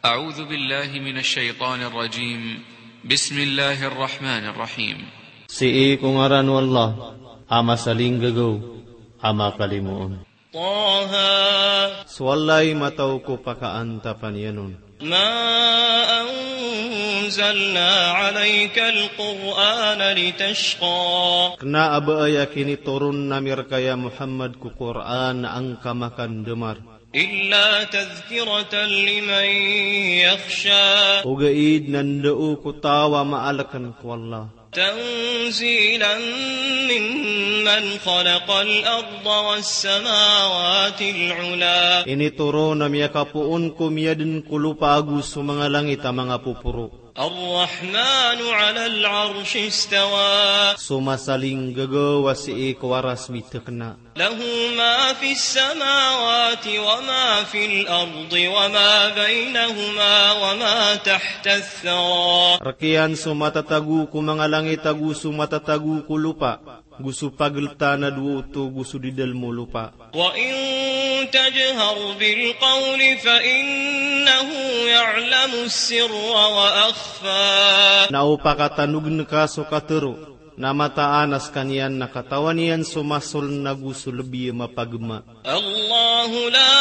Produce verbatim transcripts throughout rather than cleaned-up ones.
أعوذ بالله من الشيطان الرجيم. بسم الله الرحمن الرحيم. Sii ko ngaran o Allah, a masalinggagaw, a makalimoon. طه. So Allah i matao ko pakaantapan iyan on. ما أنزلنا عليك القرآن لتشقى. Kna a ba aya kinitoron ami rka ya Muhammad ko Qur'an a angka makandamar. إلا تذكرة لمن يخشى. Ogaid na ndao ko taw a maalkn ko Allah. تنزيلا ممن خلق الأرض والسماوات العلى. Initoron a miyakapoon ko miyadn ko lopa ago so manga langit a manga poporo. الرحمن على العرش استوى. So masalinggagaw a sii ko aras mitakna. له ما في السماوات وما في الأرض وما بينهما وما تحت الثرى. Rk iyan so matatago ko manga langit ago so matatago ko lopa, go so pagltan a dowa oto go so di dalm o lopa. وإن تجهر بالقول فإنه يعلم السر وأخفى. Na o pakatanogn ka so katharo, na mataan a skaniyan na katawan iyan so masoln ago so lbi a mapagma. الله لا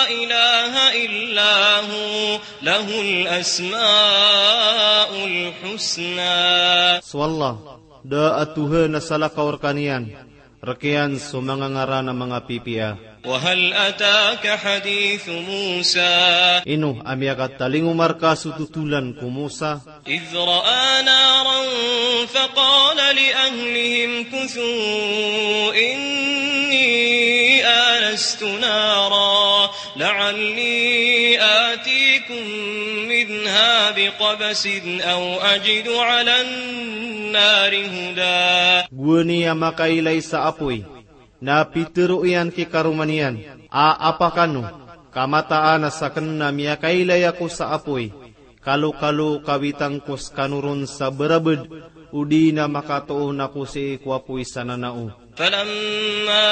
إله إلا هو له الأسماء الحسنى. So Allah, da a Tohan a salakaw rkaniyan, rk iyan so manga ngaran a manga pipiya. وهل أتاك حديث موسى. Ino a miyakatalingoma rka so totolan ko Musa. إذ رأى نارا فقال لأهله امكثوا إني آنست نارا لعلي آتيكم منها بقبس أو أجد على النار هدى. Gowani a makailay sa apoy, na pitharo iyan ki karoma niyan a, apa kano, ka mataan a sakn na miyakailay ako sa apoy, kalokalo kawitang ko skano ron sa barabd, odi na makatoon ako sii ko apoy sa nanao. فلما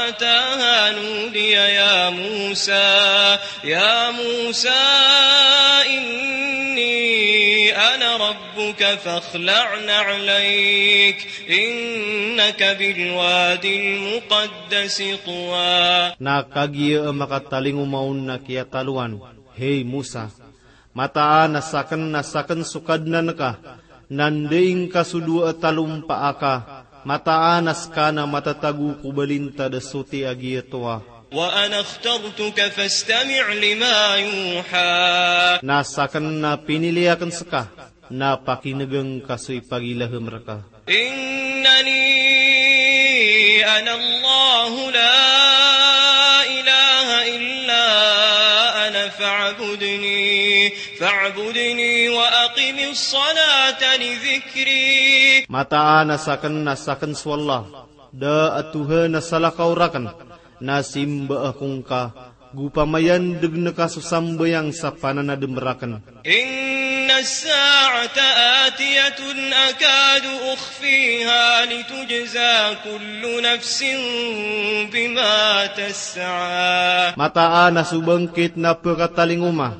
أتاها نودي يا موسى، يا موسى إني أنا ربك فاخلع نعليك إنك بالواد المقدس طوى. Na kagiya a makatalingoma on na kiyataloan, hey Musa, mataan a sakn na sakn so Kadnan ka, na ndai ngka so dowa a talompa aka, mataan a ska na matatago ko balintad a soti a giya Towa. وأنا اخترتك فاستمع لما يوحى. Na sakn na pinili akn ska, na pakinega ngka so ipagilaham rka. إنني أنا الله لا إله إلا أنا فاعبدني، فاعبدني وأقم الصلاة لذكري. Mataan a sakn na sakn so Allah, da a Tohan a salakaw rakn, na simba ako ngka, go pamayandg ngka so sambayang sa pananadm rakn. إن الساعة آتية أكاد أخفيها لتجزى كل نفس بما تسعى. Mataan a so bangkit na pkatalingoma,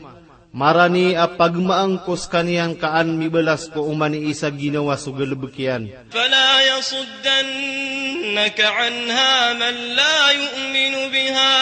marani a pagmaang ko skaniyan ka an mibalas ko oman i isa ginawa so galbk iyan. فلا يصدنك عنها من لا يؤمن بها،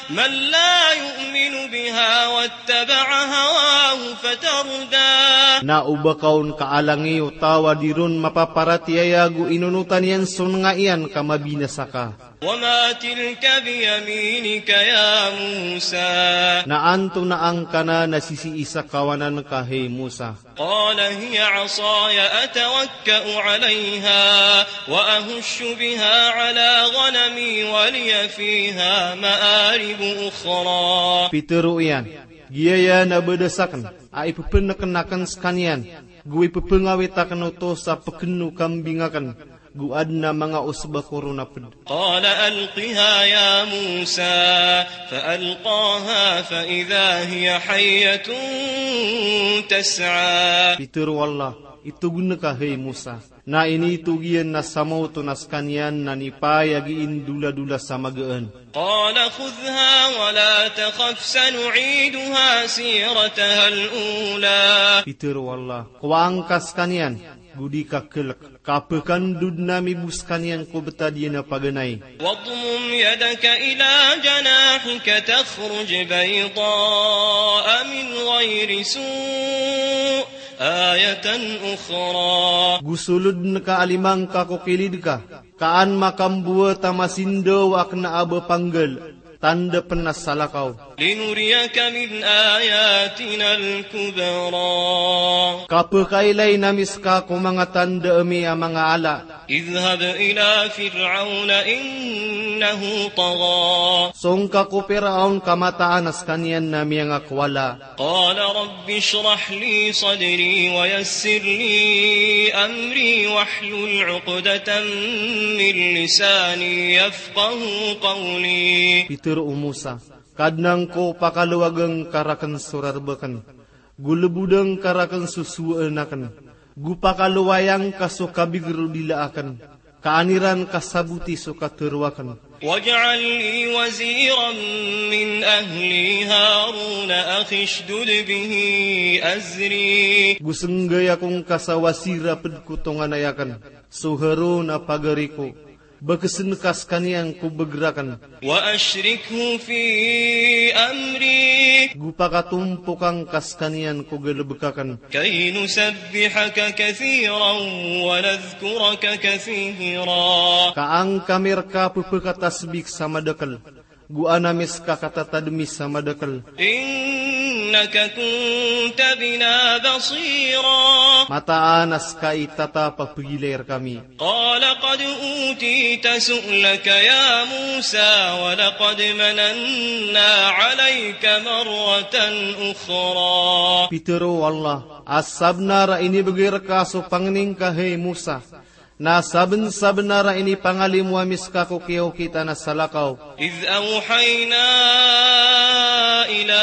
من لا يؤمن بها واتبع هواه فتردى. Na o ba ka on kaalangi o taw a di ron mapaparatiyaya go inonotan iyan so nanga iyan ka mabinasa ka. وما تلك بيمينك يا موسى. Na antonaa ngka nan a sisii sa kawanan ka, hey Musa? قال هي عصاي أتوكأ عليها وأهش بها على غنمي ولي فيها مآرب أخرى. Pitharo iyan, giyaya na badas akn a ipepnekn akn skaniyan, go ipepengawit akn oto sa pekn o kambing akn, go adn a manga osba ko ron a pd. قال ألقها يا موسى فألقاها فإذا هي حية تسعى. Pitharo o Allah, Itog ngka, hay Musa. Na initog iyan na samaoto na skaniyan na nipaay a gii ndola-dola sa magaan. قال خذها ولا تخف سنعيدها سيرتها الأولى. Pitharo o Allah, kowaa ngka skaniyan, go di ka kelek, ka pekandod ami bo skaniyan ko betad iyan a paganay. واضمم يدك إلى جناحك تخرج بيضاء من غير سوء آية أخرى. Go solod ngka a lima ngka ko kilid ka, ka an makambowat a masindaw a kena a ba panggal, tanda pen a salakaw. لنريك من آياتنا الكبرى. Ka pekailay ami ska ko manga tanda ami a manga ala. اذهب إلى فرعون إنه طغى. Song ka ko Piraon ka mataan a skaniyan na miyangakowala. قال رب اشرح لي صدري ويسر لي أمري واحلل عقدة من لساني يفقهوا قولي. Pitharo o Musa, Kadnan ko, pakalowag ngka raken so rareb aken, go lebod ngka raken so sowaan aken, go pakalowaya ngka so kabigr o dila aken, ka an iran kasaboti so katharo aken. واجعل لي وزيرا من أهلي هارون أخي اشدد به أزري. Go senggay ako ngka sa wasir a ped ko tonganay aken, so Harun a pagari ko. Bekesen ka skaniyan ko begr aken. وأشركه في أمري. Go pakatompok angka skaniyan ko galebek aken. كي نسبحك كثيرا ونذكرك كثيرا. Ka an kami rka pepekatasbik sa madakel, go an ami ska katatadmi sa madakel. إنك كنت بنا بصيرا. Mataan a ska i tatap a pegilay rkami. قال قد أوتيت سؤلك يا موسى ولقد مننا عليك مرة أخرى. Pitharo o Allah, a sabenar a inibegay rka so pangni ngka, hay Musa. Na sabensabenar a inipangalimo ami ska ko kiyaokitan a salakaw. إذ أوحينا إلى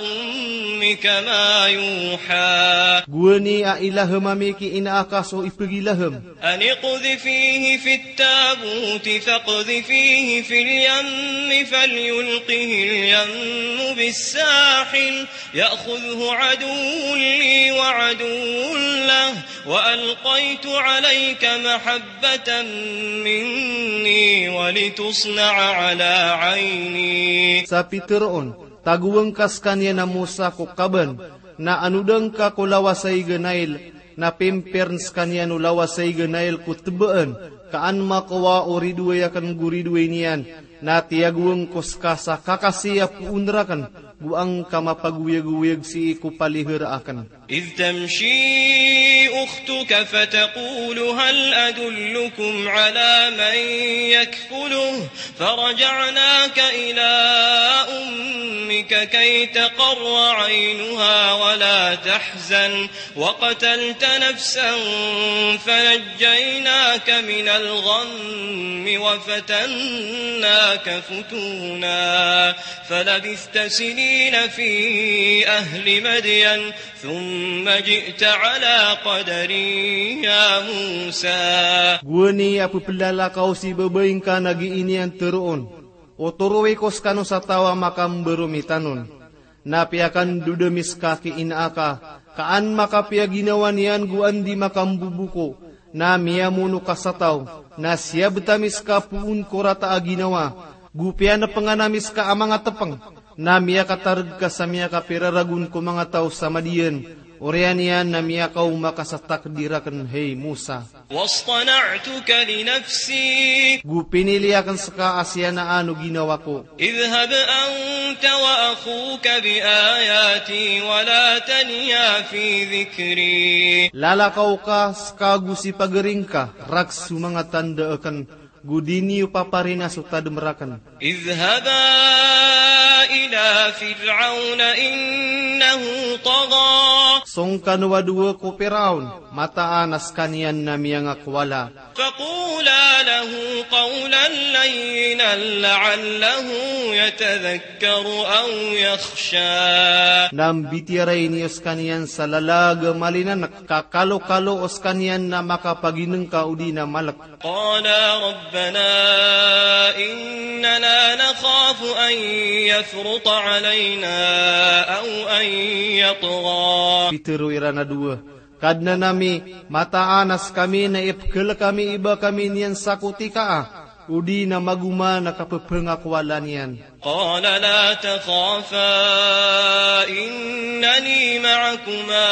أمك ما يوحى. Gowani a ilahem ami ki ina aka so ipegilaham. أن اقذفيه في التابوت فاقذفيه في اليم فليلقه اليم بالساحل يأخذه عدو لي وعدو له وألقيت عليك محبة مني ولتصنع على عيني. Sa pitharo on, tagowa ngka skaniyan a Musa ko kaban, na anoda ngka ko lawas a ig a Nail, na pimpirn skaniyan o lawas a ig a Nail ko tebaan, ka an makowa o ridoay aken go ridoay niyan, na tiyagowa ngko ska sa kakasi a poon raken, go an ka mapagoyagoyag sii ko palihara aken. إذ تمشي أختك فتقول هل أدلكم على من يكفله فرجعناك إلى أمك كي تقر عينها ولا تحزن وقتلت نفسا فنجيناك من الغم وفتناك فتونا فلبثت سنين في أهل مدين ثم جئت على قدر يا موسى. Gowani a pepelalakaw si babay ngka na gii niyan tharoon, o torowi ko skano sa taw a makambaro mi tanon. Na piyakandod ami ska ki ina aka, ka an makapiyaginawa niyan go an di makambobo ko, na miyamono ka sa taw, na siyabt ami ska poon ko rata a ginawa, go piyanepengan ami ska a manga tepeng, na miyakatareg ka sa miyakapiraragon ko manga taw sa Madiyan, oriyan iyan na miyakaoma ka sa takdir aken, hay Musa. واصطنعتك لنفسي. Go pinili aken ska a siyanaan o ginawa ko. اذهب أنت وأخوك بآياتي ولا تنيا في ذكري. Lalakaw ka ska go si pagari ngka, rak so manga tanda aken, Go di niyo paparina so tadem raken. اذهبا إلى فرعون إنه طغى. Song kano a dowa ko Piraon, mataan a sekaniyan na miyangakowala. فقولا له قولا لينا لعله يتذكر أو يخشى. Na mbitiyarai niyo sekaniyan sa lalag a malinanek, ka kalokalo o sekaniyan na makapaginengka odi na malek. قالا ربنا إننا نخاف أن يفرط علينا أو أن يطغى. Pitero iran a dowa, Kadnan ami, mataan a sekami na ipekelek ami i ba kami niyan sakotikaa, odi na magoma na kapepengakowala niyan. قال لا تخافا إنني معكما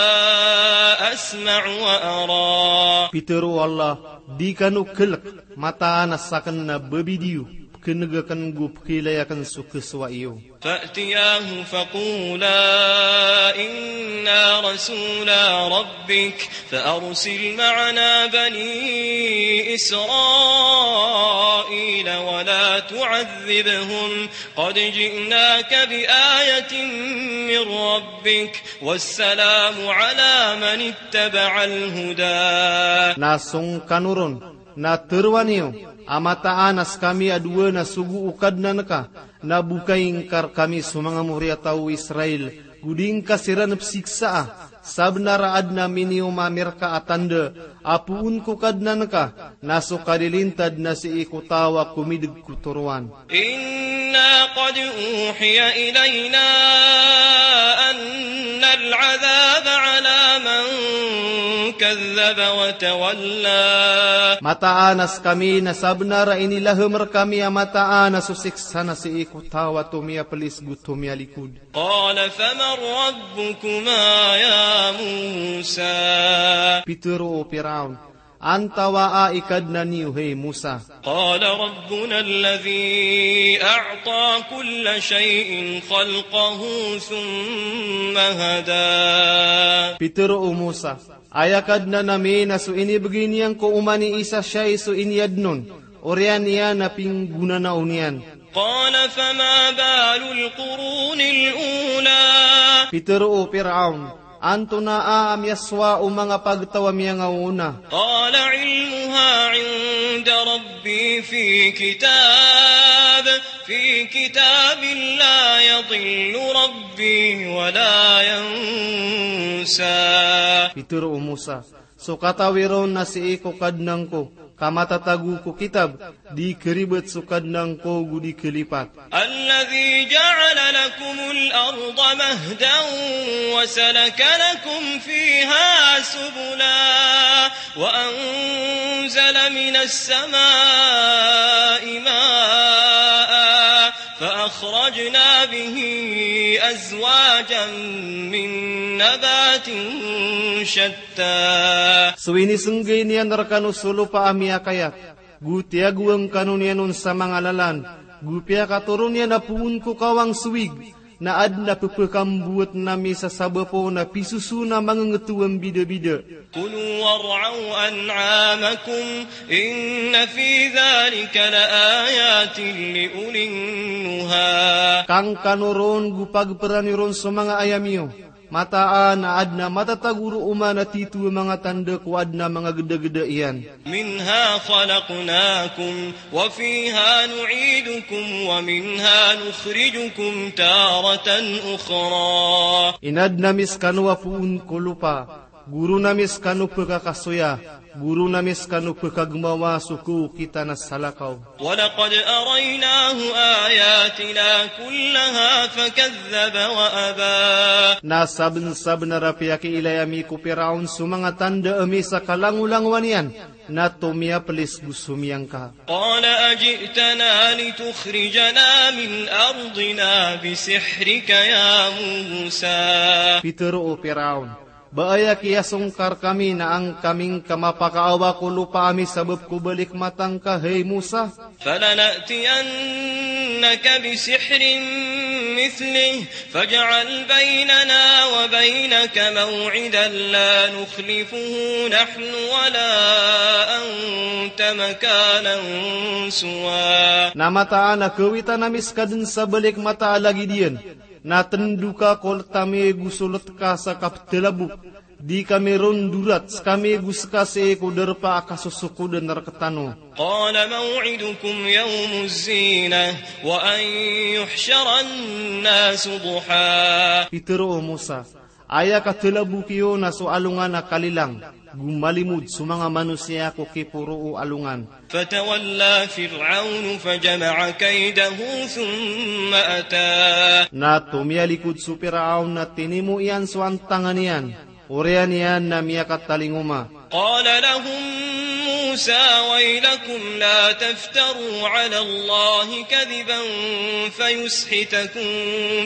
أسمع وأرى. Pitero o Allah, di kano kelek, mataan a saken na babidi iyo, pekeneg aken go pekeilay aken so kesowa iyo. فأتياه فقولا إنا رسولا ربك فأرسل معنا بني إسرائيل ولا تعذبهم قد جئناك بآية من ربك والسلام على من اتبع الهدى. Na song kano ron, na teroa niyo a mataan a sekami a dowa na sogo o Kadnan ka, na bokay ngka rekami so manga moriyataw o Israel, go di ngka siran pesiksaa, sabenar a aden a miniyomamirka a tanda a poon ko Kadnan ka, na so kalilintad na sii ko taw a komideg ko toroan. إنا قد أوحي إلينا أن العذاب على من كذب وتولى. Mataan a sekami na sabenar a inilahem rekami a mataan a so siksa na sii ko taw a tomiyapelis go tomiyalikod. قال فمن ربكما يا موسى؟ Pitero o Piraon, Antawaa i Kadnan iyo, hay Musa? قال ربنا الذي أعطى كل شيء خلقه ثم هدى. Pitero o Musa, aya Kadnan ami na so inibegay niyan ko oman i isa shay so iniyadn on, oriyan iyan na pinggonanao niyan. قال فما بال القرون الأولى. Pitero o Piraon, antonaa a miyasowa o manga pagtaw a miyangaoona? قال علمها عند ربي في كتاب، في كتاب لا يضل ربي ولا ينسى. Pitero o Musa, so katawi ron na sii ko Kadnan ko, ka matatago ko kitab, di keribat so Kadnan ko go di kelipat. الذي جعل لكم الأرض مهدا وسلك لكم فيها سبلا وأنزل من السماء ماء فأخرجنا به أزواجا من نبات شتى. So inisenggay niyan rekano so lopa a miyakayat, go tiyagoan kano niyan on sa manga lalan, go piyakatoron iyan a poon ko kawang so wig, na aden a pepekambowat ami sa sabap on a pisoson a mangengeto a mbidabida. كلوا وارعوا أنعامكم إن في ذلك لآيات لأولي النهى. Kangkano ron go pageperan iyo ron so manga ayam iyo. Mataan a aden a matatago roo man a tito a manga tanda ko aden a manga gedageda iyan. منها خلقناكم وفيها نعيدكم ومنها نخرجكم تارة أخرى. Inaden ami sekano a poon ko lopa, go ron ami sekano pekakasoya, go ron ami sekano pekagemawa so kaokitan a salakaw. ولقد أريناه آياتنا كلها فكذب وأبى. Na sabensabenar a piyakiilay ami ko Piraon so manga tanda ami sa kalangolangowan iyan, na tomiyapelis go somiyangka. قال أجئتنا لتخرجنا من أرضنا بسحرك يا موسى. Pitero o Piraon, Ba aya kiyasongkar kami na angka mi ngka mapakaawa ko lopa ami sabap ko balik mata ngka, hay Musa? فلنأتينك بسحر مثله فاجعل بيننا وبينك موعدا لا نخلفه نحن ولا أنت مكانا سوى. Na mataan a kawitan ami ska dn sa balik mata a lagid iyan, na tndo ka ko let ami go so let ka sa kapthalabok, di kami ron dorat, skami go ska sii ko darpa a kasosokodan rktano. قال موعدكم يوم الزينة وأن يحشر الناس ضحى. Pitharo o Musa, aya kathalabok iyo na so alongan a kalilang, go malimod so manga manosiya ko kiporo o alongan. فتولى فرعون فجمع كيده ثم أتى. Na tomiyalikod so Piraon na tinimo iyan so antangan iyan, oriyan iyan na miyakatalingoma. قال لهم موسى ويلكم لا تفتروا على الله كذبا فيسحتكم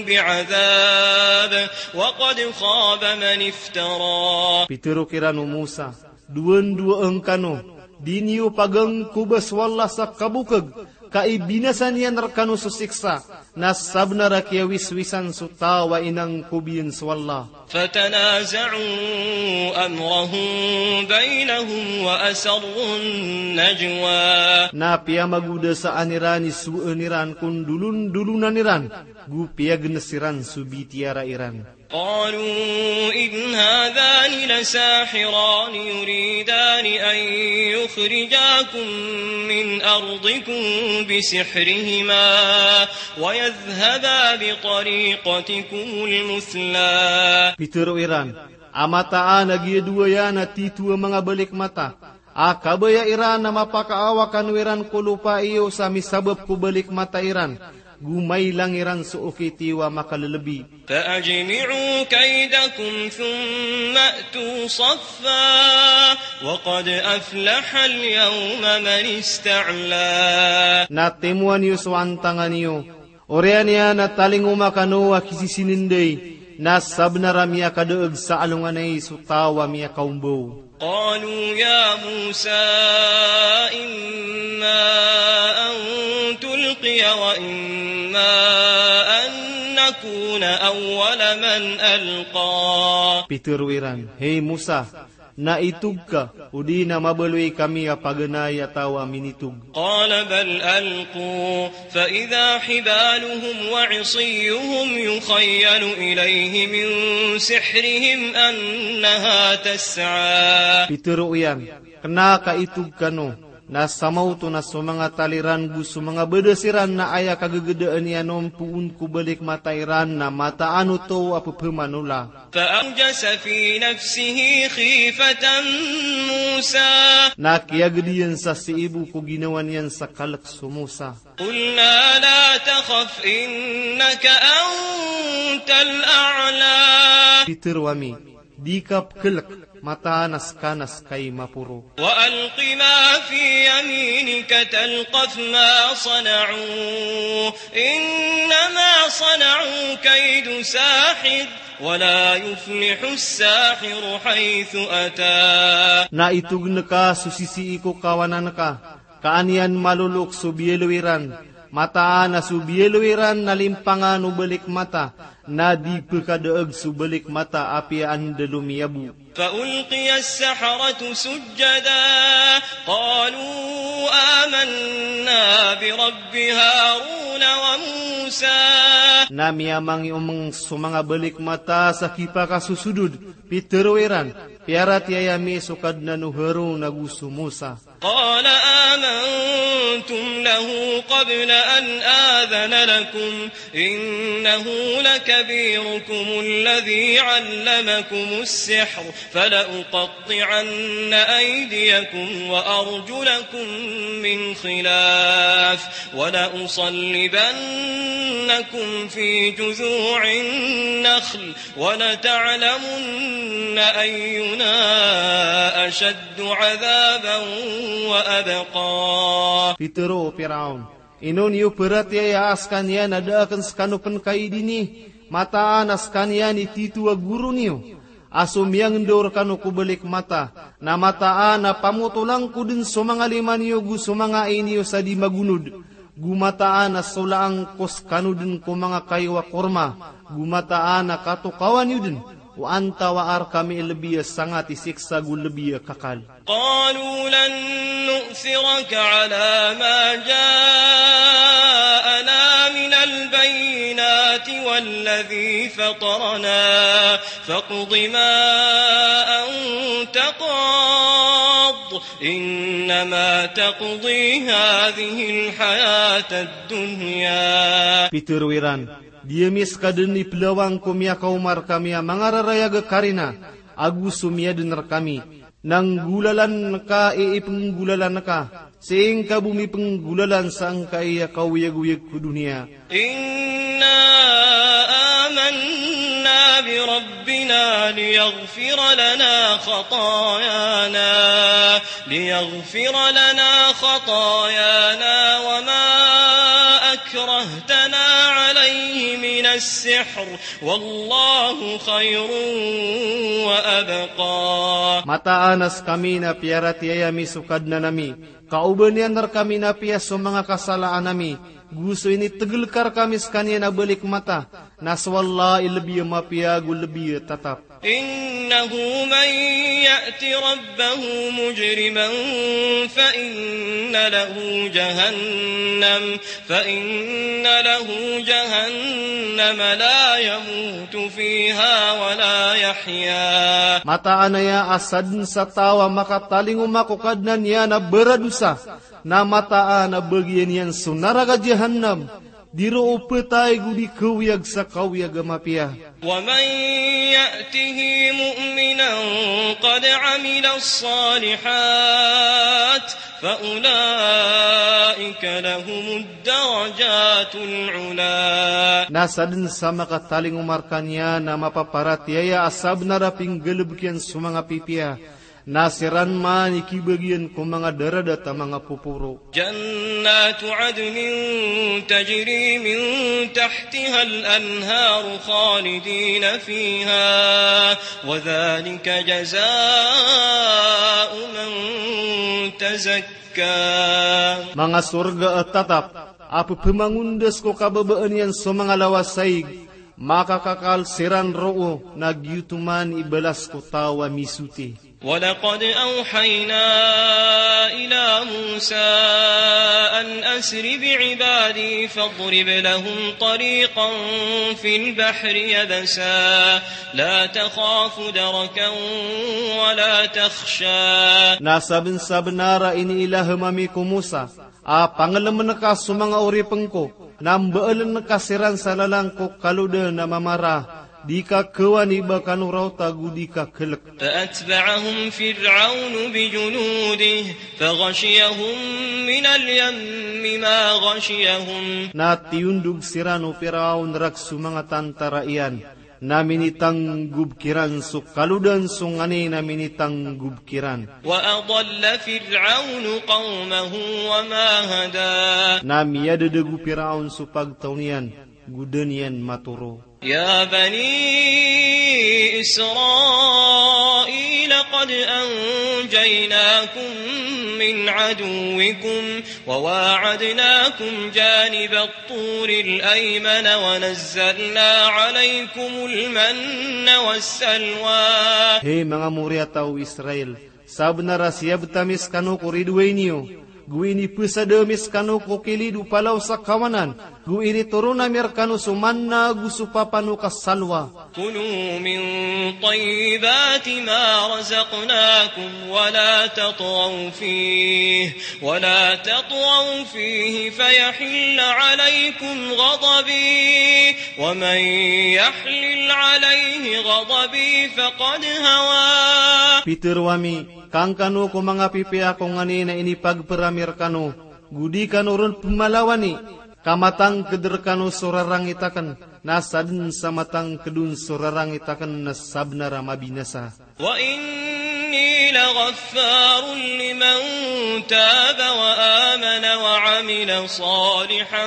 بعذاب وقد خاب من افترى. Pitharo kiran o Musa, dowandowa ngkano, di niyo pagangkoba so Allah sa kabokag, ka ibinasa niyan rkano so siksa, na sabnar a kiyawiswisan so taw a inangkob iyan so Allah. فتنازعوا أمرهم بينهم وأسروا النجوى. Na piyamagodasaan iran i sowaan iran ko ndolondolonan iran, go piyagns iran so bitiyara iran. قالوا إن هذان لساحران يريدان أن يخرجاكم من أرضكم بسحرهما ويذهبا بطريقتكم المثلى. Pitharo iran, a mataan a giya dowa iyan a titho a manga balik mata, a kabaya iran a mapakaawa kano iran ko lopa iyo sa misabap ko balik mata iran, go mailang iran so okit iyo a makalelebi. فأجمعوا كيدكم ثم أتوا صفا وقد أفلح اليوم من استعلى. Na timowa niyo so antangan iyo, oriyan iyan a talingoma kano a kisisinenday, na sabnar a miyakadaag sa alongan ai so taw a miyakaombaw. قالوا يا موسى إما أن تلقي وإما أن نكون أول من ألقى. Pitharo iran, hay Musa, na itog ka, odi na mabaloy kami a paganay a taw a minitog. قال بل ألقوا فإذا حبالهم وعصيهم يخيل إليه من سحرهم أنها تسعى. Pitharo iyan, kena ka itog kano, na samaoto na so manga tali ran go so manga badas iran na aya kagagedaan iyan on poon ko balik mata iran na mataan oto a pepemanola. فأوجس في نفسه خيفة موسى. Na kiyaged iyan sa sii bo ko ginawa niyan sa kalek so Musa. قلنا لا تخف إنك أنت الأعلى. Pitharo ami, di ka pekelek, mataan a ska na ska i maporo. وألق ما في يمينك تلقف ما صنعوا إنما صنعوا كيد ساحر ولا يفلح الساحر حيث أتى. Na itogen ka so sisii ko kawanan ka, ka an iyan malolok so biyaloy iran, mataan a so biyaloy iran na limpangan o balik mata, na di pekadaag so balik mata apiya anda lomiyabo. فألقي السحرة سجدا قالوا آمنا برب هارون وموسى. Na miyamangiomeng so manga balik mata sa kipakasosodod, pitharo iran, piyaratiyaya mi so Kadnan o Harun ago so Musa. قال آمنتم له قبل أن آذن لكم إنه لكبيركم الذي علمكم السحر فلأقطعن أيديكم وأرجلكم من خلاف ولأصلبنكم في جذوع النخل ولتعلمن أينا أشد عذابا وأبقى. Pitharo o Piraon, ino niyo paratiyaya a sekaniyan a da aken sekano pen kaidini, mataan a sekaniyan i titho a goro niyo, a so miyangendao rekano ko balik mata, na mataan a pamotolan ko den so manga lima niyo go so manga ai niyo sa di magonod, go mataan a solaan ko sekano den ko manga kayo a korma, go mataan a katokawan iyo den, o antawaa rekami i lebi a sangat i siksa go lebi a kakal. قالوا لن نؤثرك على ما جاءنا من البينات والذي فطرنا فاقض ما أنت قاض إنما تقضي هذه الحياة الدنيا. Pitero iran, di ami seka den i pelawang ko miyakaoma rekami a mangararayag a karina, ago so miyaden rekami. Na nggolalan ka i ipenggolalan ka, sii ngka bo mipenggolalan sa ngka i kaoyagoyag ko doniya. إنا آمنا بربنا ليغفر لنا خطايانا، ليغفر لنا خطايانا وما أكرهتنا عليه من السحر والله خير وأبقى. Mataan a sekami na piyaratiyaya mi so Kadnan ami, ka oba niyan rekami napiya so manga kasalaan ami, go so initegel ka rekami sekaniyan a balik mata, na so Allah i lebi a mapiya go lebi a tatap. إنه من يأت ربه مجرما فإن له جهنم فإن له جهنم لا يموت فيها ولا يحيا. Mataan aya a saden sa taw a makatalingoma ko Kadnan iyan a baradosa, na mataan a bagian iyan so naraka Jahannam, di roo petay go di kaoyag sa kaoyag a mapiya. ومن يأته مؤمنا قد عمل الصالحات فأولئك لهم الدرجات العلى. Na saden sa makatalingoma rekaniyan a mapaparatiyaya a sabenar a pinggalebek iyan so manga pipiya, na siran man i kibagian ko manga daradat a manga poporo. جنات عدن تجري من تحتها الأنهار خالدين فيها وذلك جزاء من تزكى. Manga sorga a tatap a pepemangondas ko kababaan iyan so manga lawas a ig, makakakal siran roo, na giyoto man i balas ko taw a misoti. ولقد أوحينا إلى موسى أن أسر بعبادي فاضرب لهم طريقا في البحر يبسا لا تخاف دركا ولا تخشى. Na sabensabenar a iniilahem ami ko Musa a pangelemen ka so manga oripen ko, na mbaelen ka siran sa lalan ko kalodan a mamara, di ka kawani ba kano raota go di ka kelek. فأتبعهم فرعون بجنوده فغشيهم من اليم ما غشيهم. Na tiyondog siran o Firaon rek so manga tantara iyan, na minitanggob kiran so kalodan so nganin a minitanggob kiran. وأضل فرعون قومه وما هدى. Na miyadedeg o Firaon so pagtaw niyan, go da niyan matoro. يا بني إسرائيل قد أنجيناكم من عدوكم وواعدناكم جانب الطور الأيمن ونزلنا عليكم المن والسلوى. Hay manga moriyataw o Israel, sabenar a siyabet ami sekano ko ridoay niyo, go inipesada ami sekano ko kilid o palaw sa kawanan, go initoron ami rekano so manna go so papano ka salwa. كلوا من طيبات ما رزقناكم ولا تطغوا فيه ولا تطغوا فيه فيحل عليكم غضبي ومن يحلل عليه غضبي فقد هوى. Pitero ami, kangkano ko manga pipiya ko nganin a inipagper ami rekano, go di kano ron pemalawani, ka matangked rekano so rarangit aken, na saden sa matangked on so rarangit aken na sabenar a mabinasa. وإن لغفار لمن تاب وآمن وعمل صالحا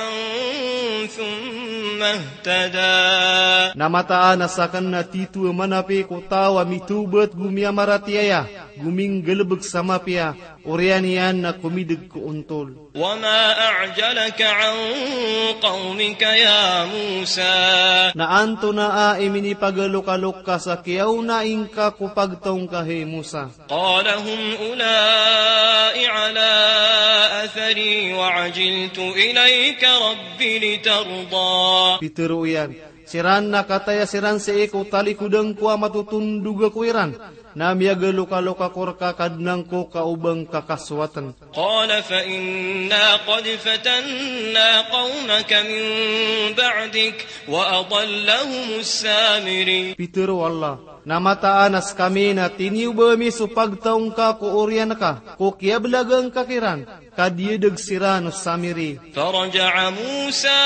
ثم اهتدى. Na mataan a sakn na titho a manapi ko taw a mitawbat go miyamaratiyaya, go minggalbk sa mapiya, oriyan iyan na komidg ko ontol. وما أعجلك عن قومك يا موسى. Na antonaa i minipagalokalok ka sa kiyaona ingka ko pagtaw ngka, hay Musa? قال هم أولاء على أثري وعجلت إليك رب لترضى. Pitharo iyan, siran na kataya siran sii ko talikodan ko a matotondog ako iran, na miyagalokalok ako rka Kadnan ko ka o ba ngka kasowatn. قال فإنا قد فتنا قومك من بعدك وأضلهم السامري. Pitharo o Allah, na mataan a skami na tiniyoba ami so pagtaw ngka ko oriyan ka, ko kiyablaga ngka kiran, ka diyadg siran o Samiri. فرجع موسى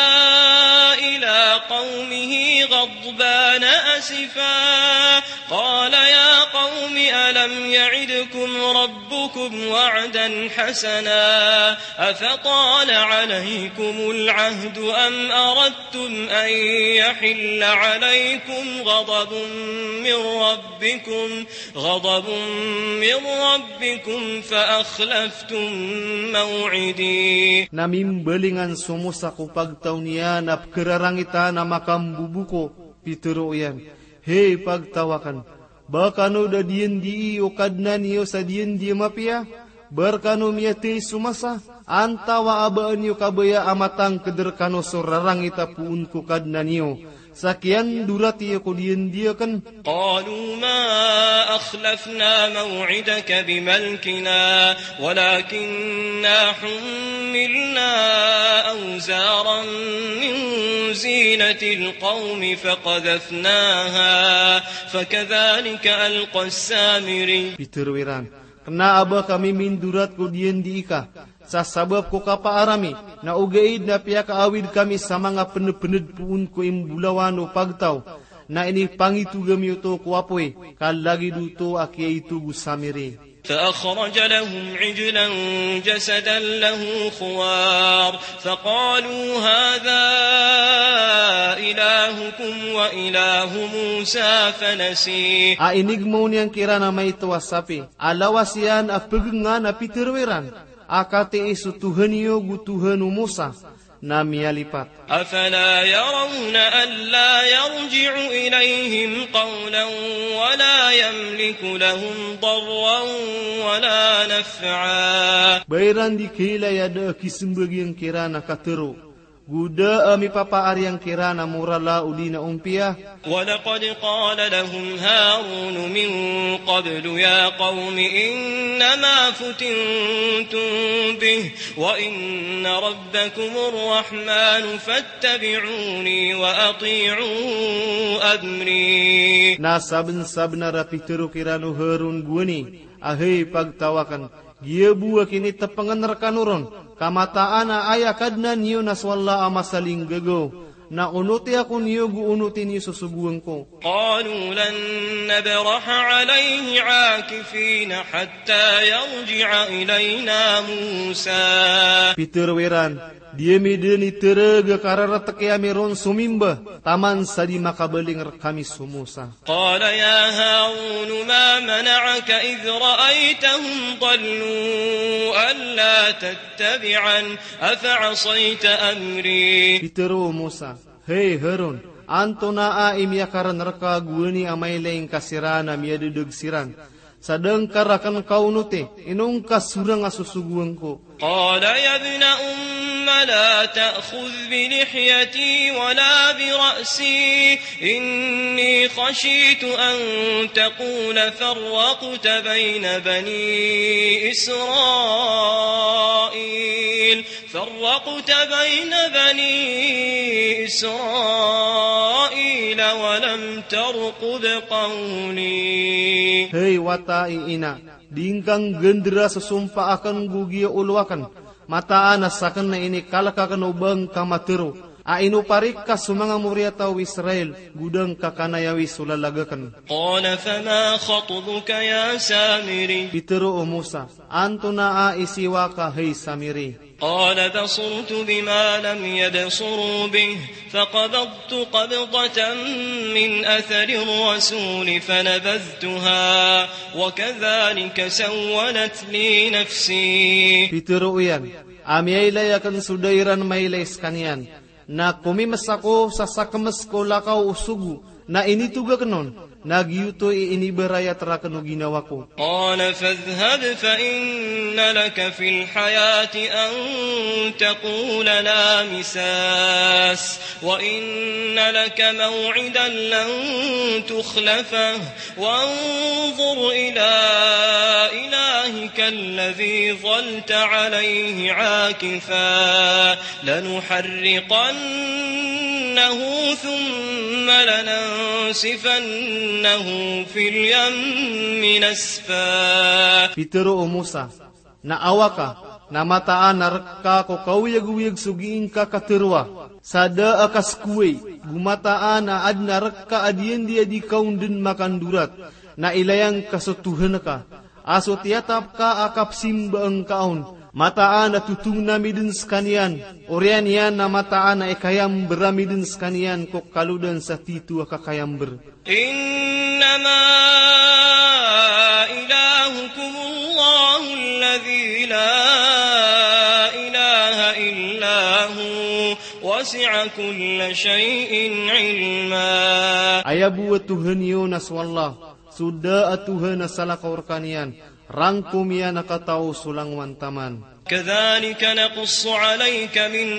إلى قومه غضبان أسفا قال يا قوم ألم يعدكم ربكم وعدا حسنا أفطال عليكم العهد أم أردتم أن يحل عليكم غضب من ربكم، غضب من ربكم فأخلفتم موعدي. Na mimbalingan so Musa ko pagtaw niyan a pkhararangitan a makamboboka. Pitharo iyan, hay pagtaw akn, ba kano da diyandii o Kadnan iyo sa diyandi a mapiya? Ba rkano miyathay so masa? Antaa a ba niyo kabaya a matangkd rkano so rarangit a poon ko Kadnan iyo sa kiyandorat iyo ko diyandi akn? قالوا ما أخلفنا موعدك بملكنا ولكنا حملنا أوزارا من زينة القوم فقذفناها فكذلك ألقى السامري. Pitharo iran, kna a ba kami mindorat ko diyandi ika sa sabap ko kapaar ami, na ogaid na piyakaawid kami sa manga pnpnd poon ko imbolawan o pagtaw, na inipangitog ami oto ko apoy, ka lagid oto a kiyaitog o Samiri. فأخرج لهم عجلا جسدا له خوار فقالوا هذا إلهكم وإله موسى فنسي. A inigmaw niyan kiran a maito a sapi a lawas iyan a pgngan a pitharo iran a katii so Tohan iyo go Tohan o Musa, na miyalipat. أفلا يرون ألا يرجع إليهم قولا ولا يملك لهم ضرا ولا نفعا. Ba iran di kailay a da a kismbag iyan kiran a katharo, go da a mipapaar iyan kiran a morala odi na ompiya. ولقد قال لهم هارون من قبل يا قوم إنما فتنتم به وإن ربكم الرحمن فاتبعوني وأطيعوا أمري. Na sabnsabnar a pitharo kiran o Harun gowani a hay pagtaw akn, giya bo a kinitpngn rkano ron, ka mataan a aya Kadnan iyo na so Allah a masalinggagaw, na onoti ako niyo go onoti niyo so sogoan ko. قالوا لن نبرح عليه عاكفين حتى يرجع إلينا موسى. Pitharo iran, di ami dn itereg a karartki ami ron somimba taman sa di makabaling rkami so Musa. قال يا هارون ما منعك إذ رأيتهم ضلوا ألا تتبعن أفعصيت أمري. Pitharo o Musa, hay Harun, antonaa i miyakarn rka gowani a mailay ngka siran a miyadadg siran sa da ngka rakn kaonoti, ino ngka sorang a sosogoan ko? قال يا ابن أم لا تأخذ بلحيتي ولا برأسي إني خشيت أن تقول فرقت بين بني إسرائيل، فرقت بين بني إسرائيل ولم ترقب قولي. Hay wata i ina, di ngka nggandra so sompa akn go giya olo akn, mataan a sakn na inikalk akn o ba ngka matharo, A ino parik ka so manga moriyataw o Israel, go da ngka kanayawi so lalag akn. قال فما خطبك يا سامري؟ Pitharo o Musa, antonaa i siyowa ka hay Samiri? قال بصرت بما لم يبصروا به فقبضت قبضة من أثر الرسول فنبذتها وكذلك سولت لي نفسي. Pitharo iyan a miyailay akn so da iran mailay skaniyan, na komimsa ako sa sakms ko lakaw o sogo, na initog akn on, na giyoto i inibarayat rakn o ginawa ko. قال فاذهب فإن لك في الحياة أن تقول لا مساس وإن لك موعدا لن تخلفه وانظر إلى إلهك الذي ظلت عليه عاكفا لنحرقنه ثم لننسفنه في اليم نسفا. Pitharo o Musa, na awa ka, na mataan a rk ka ko kaoyagoyag so gii ngka katharoa, sa da a kaskoway, go mataan a adn a rk ka a diyandi a di ka on dn makandorat, na ilaya ngka so Tohan ka, a so tiyatap ka a kapsimba ngka on, mataan a totongn ami dn skaniyan, oriyan iyan na mataan a ikayamber ami dn skaniyan ko kalodan sa tito a kakayamber. إنما إلهكم الله الذي لا إله إلا هو وسع كل شيء علما. Aya bo a Tohan iyo na so Allah, so da a tohan a salakaw rkaniyan, rangkom iyan a katao so langowan taman. كذلك نقص عليك من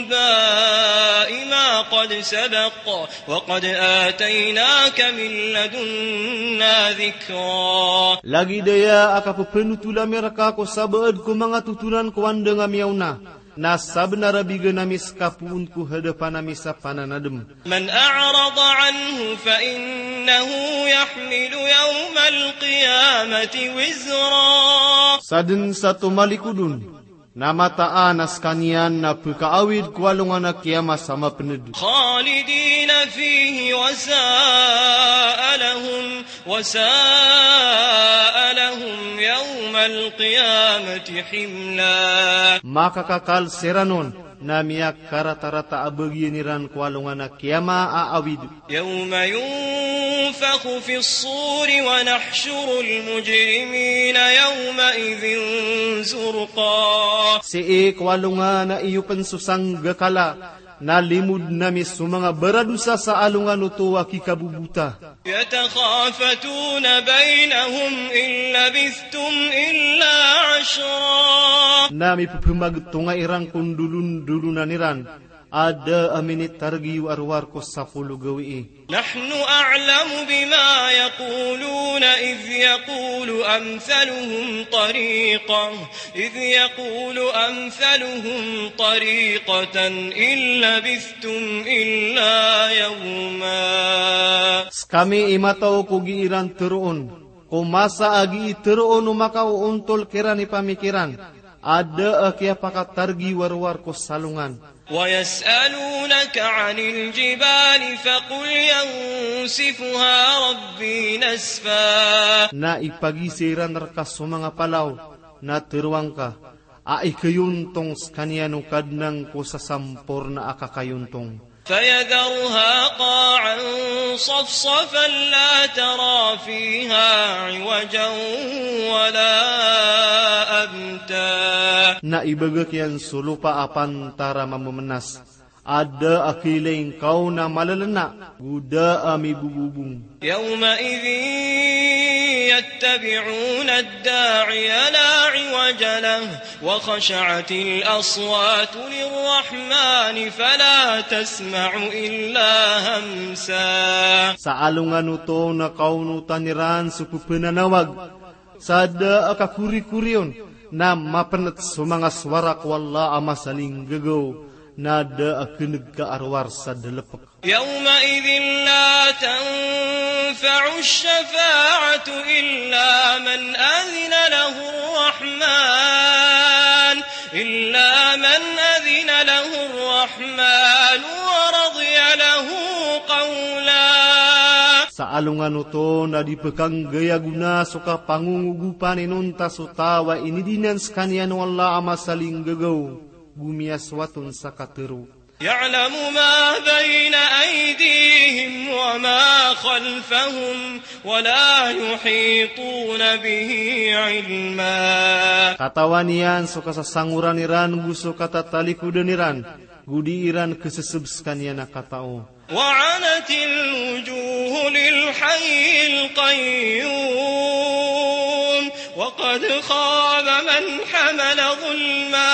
أنباء ما قد سبق وقد آتيناك من لدنا ذكرا. Lagid aya a kapphanothol ami rka ko sabaad ko manga totolan ko anda nga miyaona, na sabnar a bigan ami ska poon ko hadapan ami sa pananadm. من أعرض عنه فإنه يحمل يوم القيامة وزرا. Sadn sa tomalikod on, na mataan a skaniyan na pkaawid ko alongan a kiyama sa mapnd. خالدين فيه وساء لهم وساء لهم يوم القيامة حملا. Makakakal siran on, na miyakaratarata a bagian iran ko alongan a kiyama a awid. يوم ينفخ في الصور ونحشر المجرمين يومئذ زرقا. Sii ko alongan a iyopn so sanggakala, na limodn ami so manga baradosa sa alongan oto a kikabobota. يتخافتون بينهم إن لبثتم إلا عشرا. Na mipphmagtonga iran ko ndolondolonan iran a da a minitarg iyo a rowar ko sapolo gawii. نحن أعلم بما يقولون إذ يقول أمثلهم طريقة إذ يقول أمثلهم طريقة إن لبثتم إلا يوما. Skami i matao ko gii ran tharoon, ko masa a gii tharoon o makaoontol kiran i pamikiran, a da a kiyapakatarg iyo a rowar ko salongan. ويسألونك عن الجبال فقل ينسفها ربي نسفا. Na ipagizai ran rka so manga palaw, na tharoa ngka a ikayontong skaniyan o Kadnan ko sasamporna a kakayontong. فيذرها قاعا صفصفا لا ترى فيها عوجا ولا أمتا. Na ibagak iyan so lopa a pantar a mamamnas, a da a kailay ngka on a malalna, go da a mibobobong. يومئذ يتبعون الداعي لا عوج له وخشعت الأصوات للرحمن فلا تسمع إلا همسا. Sa alongan oto na kaonotan iran so pphananawag, sa da a kakorikori on, na mapnt so manga sowara ko Allah a masalinggagaw, na da a kneg ka a rowar sa dalpk. يومئذ لا تنفع الشفاعة إلا من أذن له الرحمن، إلا من أذن له الرحمن الرحمن ورضي له قولا. Sa alongan oto na di pkhanggayagona so kapangongogopan inonta so taw a inidinan skaniyan o Allah a masalinggagaw, go miyasoat on sa katharo. يعلم ما بين أيديهم وما خلفهم ولا يحيطون به علما. Katawan iyan so kasasangoran iran go so katatalikodan iran, go di iran khasaseb skaniyan a katao. وعنت الوجوه للحي القيوم وقد خاب من حمل ظلما.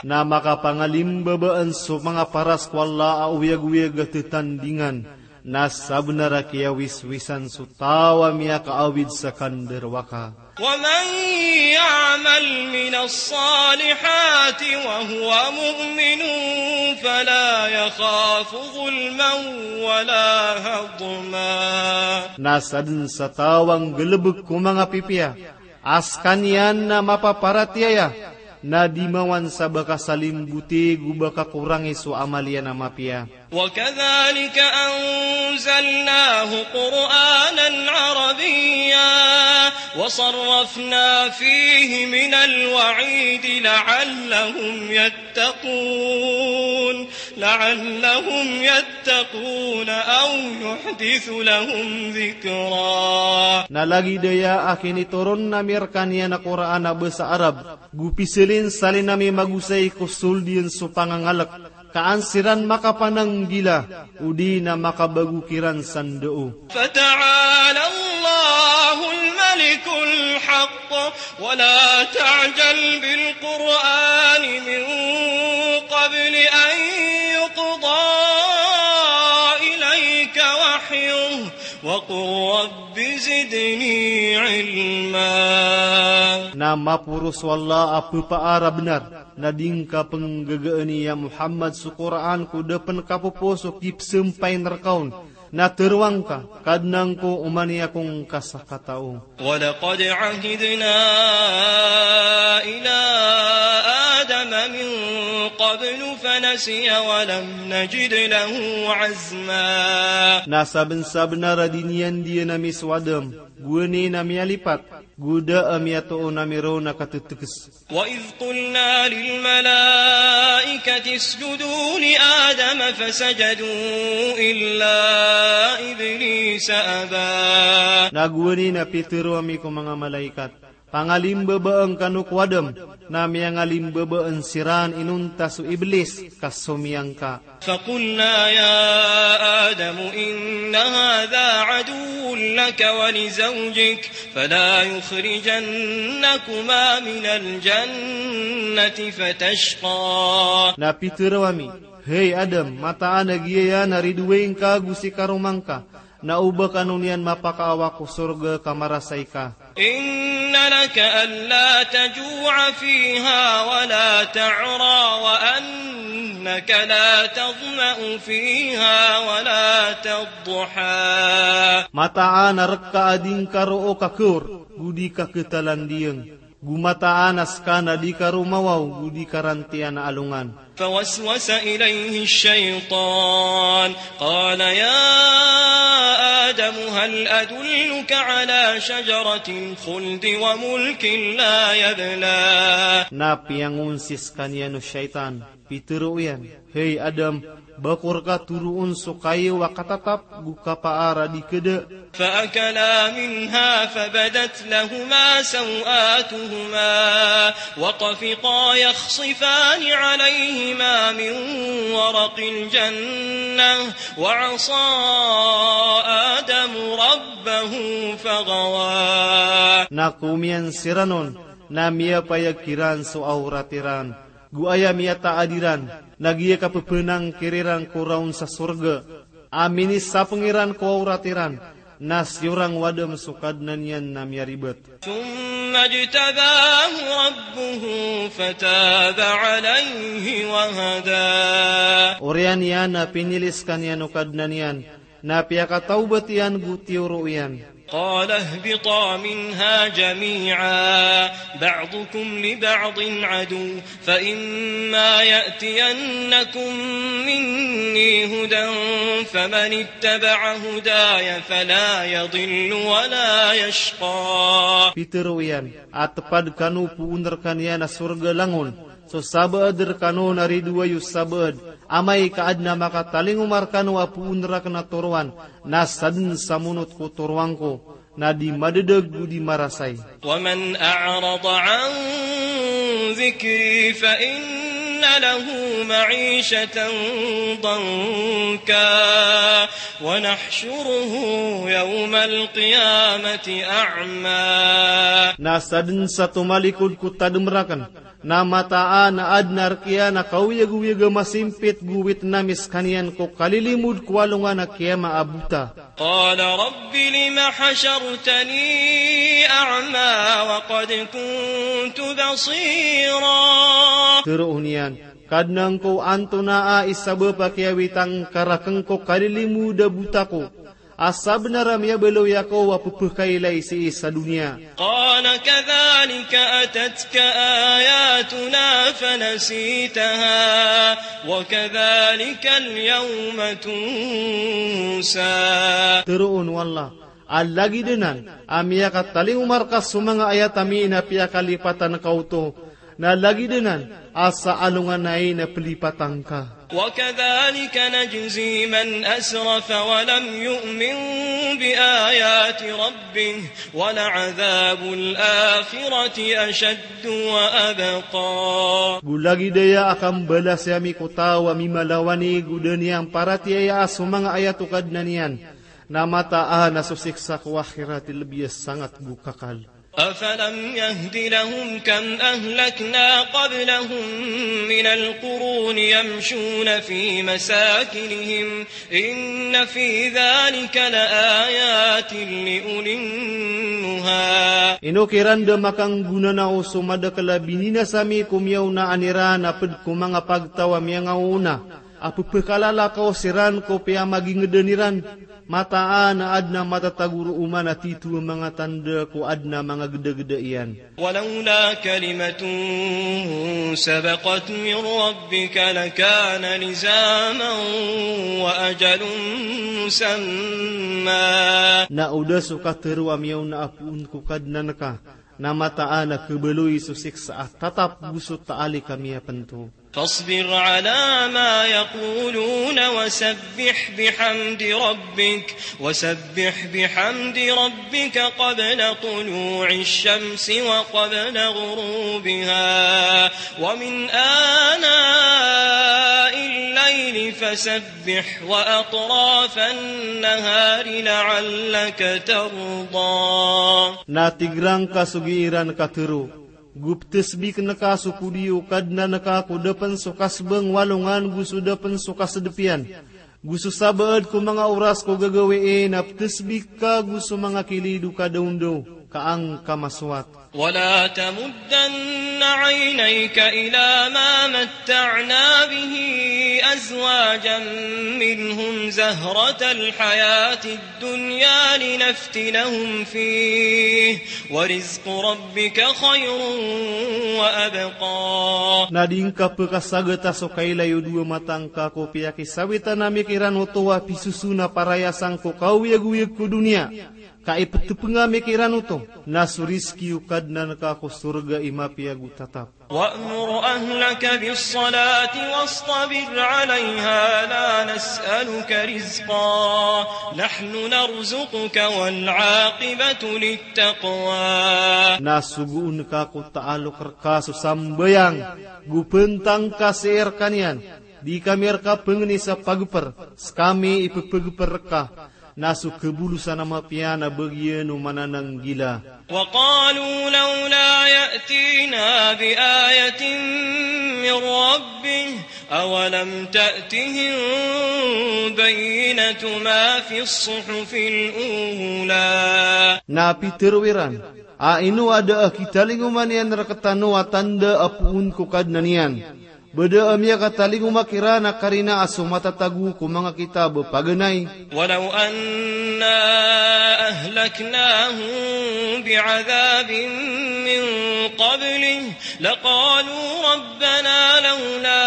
Na makapangalimbabaan so manga paras ko Allah a oyagoyag a tatandingan, na sabnar a kiyawiswisan so taw a miyakaawid sa kandarowaka. ومن يعمل من الصالحات وهو مؤمن فلا يخاف ظلما ولا هضما. Na sadn sa taw a nggalbk ko manga pipiya a skaniyan na mapaparatiyaya, na di mawan sa ba kasalimboti go ba kakorangi so amal iyan a mapiya. وكذلك أنزلناه قرآنا عربيا وصرفنا فيه من الوعيد لعلهم يتقون، لعلهم يتقون أو يحدث لهم ذكرا. Na lagid aya a kinitoron ami rkaniyan a Qur'an a basa Arab, go pisalinsalin ami magosay ko sold iyan so pangangalk, ka an siran makapananggila, odi na makabago kiran sa ndao. فتعالى الله الملك الحق ولا تعجل بالقرآن من قبل أن يقضى إليك وحيه وقل رب زدني علما. Na maporos o Allah a phaphara bnar, na di ngka pnggagaan, ya Muhammad, so Qur'an ko da pn kapopo so kipsampayin rka on. Na tharoa ngka, Kadnan ko, oman i ako ngka sakatao. ولقد عهدنا إلى آدم من قبل فنسي ولم نجد له عزما. Na sabnsabnar a diniyandiyan ami so Adam, go aya na miyalipat, go da a miyatoon ami ron a katetekes. وإذ قلنا للملائكة اسجدوا لآدم فسجدوا إلا إبليس أبى. Na go aya na pitharo ami ko manga malaikat, pangalimbabaan kano ko Adam, na miyangalimbabaan siran inonta so Iblis, ka somiyangka. فقلنا يا آدم إن هذا عدو لك ولزوجك فلا يخرجنكما من الجنة فتشقى. Na pitharo ami, Hay Adam, mataan a giyaya na ridoay ngka go si karoma ngka, na o ba kano niyan mapakaawa ko sorga ka marasay ka. إن لك ألا تجوع فيها ولا تعرى وأنك لا تظمأ فيها ولا تضحى. Mataan a rka a di ngka roo kakaor, go di ka ketalandiyang, go mataan a ska na di ka romawaw, go di ka rantiyan a alongan. فوسوس إليه الشيطان قال يا آدم هل أدلك على شجرة الخلد وملك لا يبلى. Na piyangonsi skaniyan o shaytan, pitharo iyan, Hay Adam, ba ko rka toroon so kayo a katatap go kapaar a di keda. فأكلا منها فبدت لهما سوآتهما وطفقا يخصفان عليهما من ورق الجنة وعصى آدم ربه فغوى. Na komiyan siran on, na miyapayag kiran so awrat iran, go aya miyataad iran, na giya kapepenangkir iran ko raon sa sorga, a minisapeng iran ko awrat iran, na siyorang o Adam so Kadnan iyan na miyaribet. ثم اجتباه ربه فتاب عليه وهدى. Oriyan iyan na pinili skaniyan o Kadnan iyan, na piyakatawbat iyan go tiyoro iyan. قال اهبطا منها جميعا بعضكم لبعض عدو فإما يأتينكم مني هدى فمن اتبع هداي فلا يضل ولا يشقى. Pitharo iyan a tepad kano poon rekaniyan a sorga langon, so sabaad rekano na ridoay o sabaad, amay ka aden a makatalingoma rekano a poon raken a toroan, na saden sa monot ko toroan ko, na di madedag o di marasay. ومن أعرض عن ذكري فإن له معيشة ضنكا ونحشره يوم القيامة أعمى. Na saden sa tomalikod ko tadem raken, na mataan a aden a rek iyan a kaoyagoyag a masimpit go witnami sekaniyan ko kalilimod ko alongan a kiyama a bota. قال رب لم حشرتني أعمى وقد كنت بصيرا. Tero on iyan, Kadnan ko, antonaa i sabap a kiyawitan ka raken ko kalilimod a bota ko, a sabenar a miyabaloy ako a pepekailay sii sa doniya. قال كذلك أتتك آياتنا فنسيتها وكذلك اليوم تنسى. Tero on o Allah, a lagid anan a miyakatalingoma reka so manga ayat ami na piyakalipatan ka oto, na lagid anan a sa alongan ai na pelipatan ka. وكذلك نجزي من أسرف ولم يؤمن بآيات ربه ولعذاب الآخرة أشد وأبقى. Go lagid aya a kambalasi ami ko taw a mimalawanig o da niyan paratiyayaan so manga ayat o Kadnan iyan, na mataan a so siksa ko akhirat i lebi a sangat go kakal. أفلم يهد لهم كم أهلكنا قبلهم من القرون يمشون في مساكنهم إن في ذلك لآيات لأولي النهى. Ino kiran da makanggonanao so madakel a bininasa ami ko miyaonaan iran a ped ko manga pagtaw a miyangaoona, a pepekalala kaw siran ko piyamagingeden iran, mataan a aden a matatago roo man a tito a manga tanda ko aden a manga gedageda iyan. ولولا كلمة سبقت من ربك لكان لزاما وأجل مسمى. Na o da so katero a miyaona a poon ko Kadnan ka, na mataan a kebaloy so siksa a tatap go so taalik a miyapento. فاصبر على ما يقولون وسبح بحمد ربك، وسبح بحمد ربك قبل طلوع الشمس وقبل غروبها، ومن آناء الليل فسبح، وأطراف النهار لعلك ترضى. Na tig rangka so gii ran katero, go petesbik ngka so podi o Kadnan ka ko da pen so kasebeng o alongan go so da pen so kasedep iyan, go so sabaad ko manga oras ko gagawii, na petesbik ka go so manga kilid o kadaondaw ka angka masowat. ولا تمدن عينيك إلى ما متعنا به أزواجا منهم زهرة الحياة الدنيا لنفتنهم فيه ورزق ربك خير وأبقى. Na di ngka pekasageta so kailay o dowa mata ngka ko piyakisawitan ami kiran oto a pisoson a parayasan ko kaoyagoyag ko doniya, ka ipetepeng ami kiran oto, na so rizki o Kadnan ka ko sorga i mapiya go tatap. وأمر أهلك بالصلاة واصطبر عليها لا نسألك رزقا نحن نرزقك والعاقبة للتقوى. Na sogoon ka ko taalok reka so sambayang, go pentang ka sii rekaniyan, di kami reka pengeni sa pageper, sekami ipepegeper reka, na so kebolosan a mapiya na bagian o manananggila. وقالوا لولا يأتينا بآية من ربه أولم تأتهم بينة ما في الصحف الأولى. Na pitero iran, a ino a da a kitalingoma niyan rektano a tanda a poon ko Kadnan iyan, Ba da a miyakatalingoma kiran a karina a so matatago ko manga kitab a paganay. ولو أنا أهلكناهم بعذاب من قبله لقالوا ربنا لولا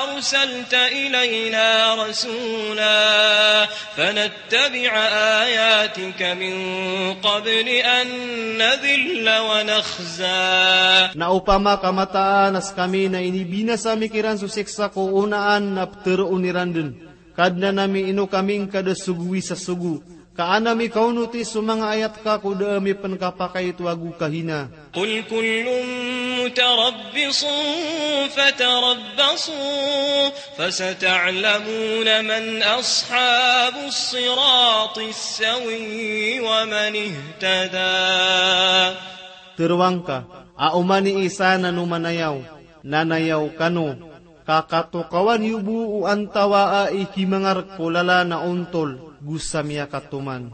أرسلت إلينا رسولا فنتبع آياتك من قبل أن نذل ونخزى. Na opama ka mataan a skami na inibinasa mi kiran so siksa ko onaan na pteroon iran dn, Kadnan ami, ino kami ngka da sogowi sa sogo, ka an ami kaonoti so manga ayat ka ko da ami pn kapakaitowa go kahina. قل كل متربص فتربصوا فستعلمون من أصحاب الصراط السوي ومن اهتدى. Tero angka, a oman i isa na nomanayaw, nanayaw kano, ka katokawan iyo bo o antawaa i kimangark ko lalan a ontol go sa miyakatoman.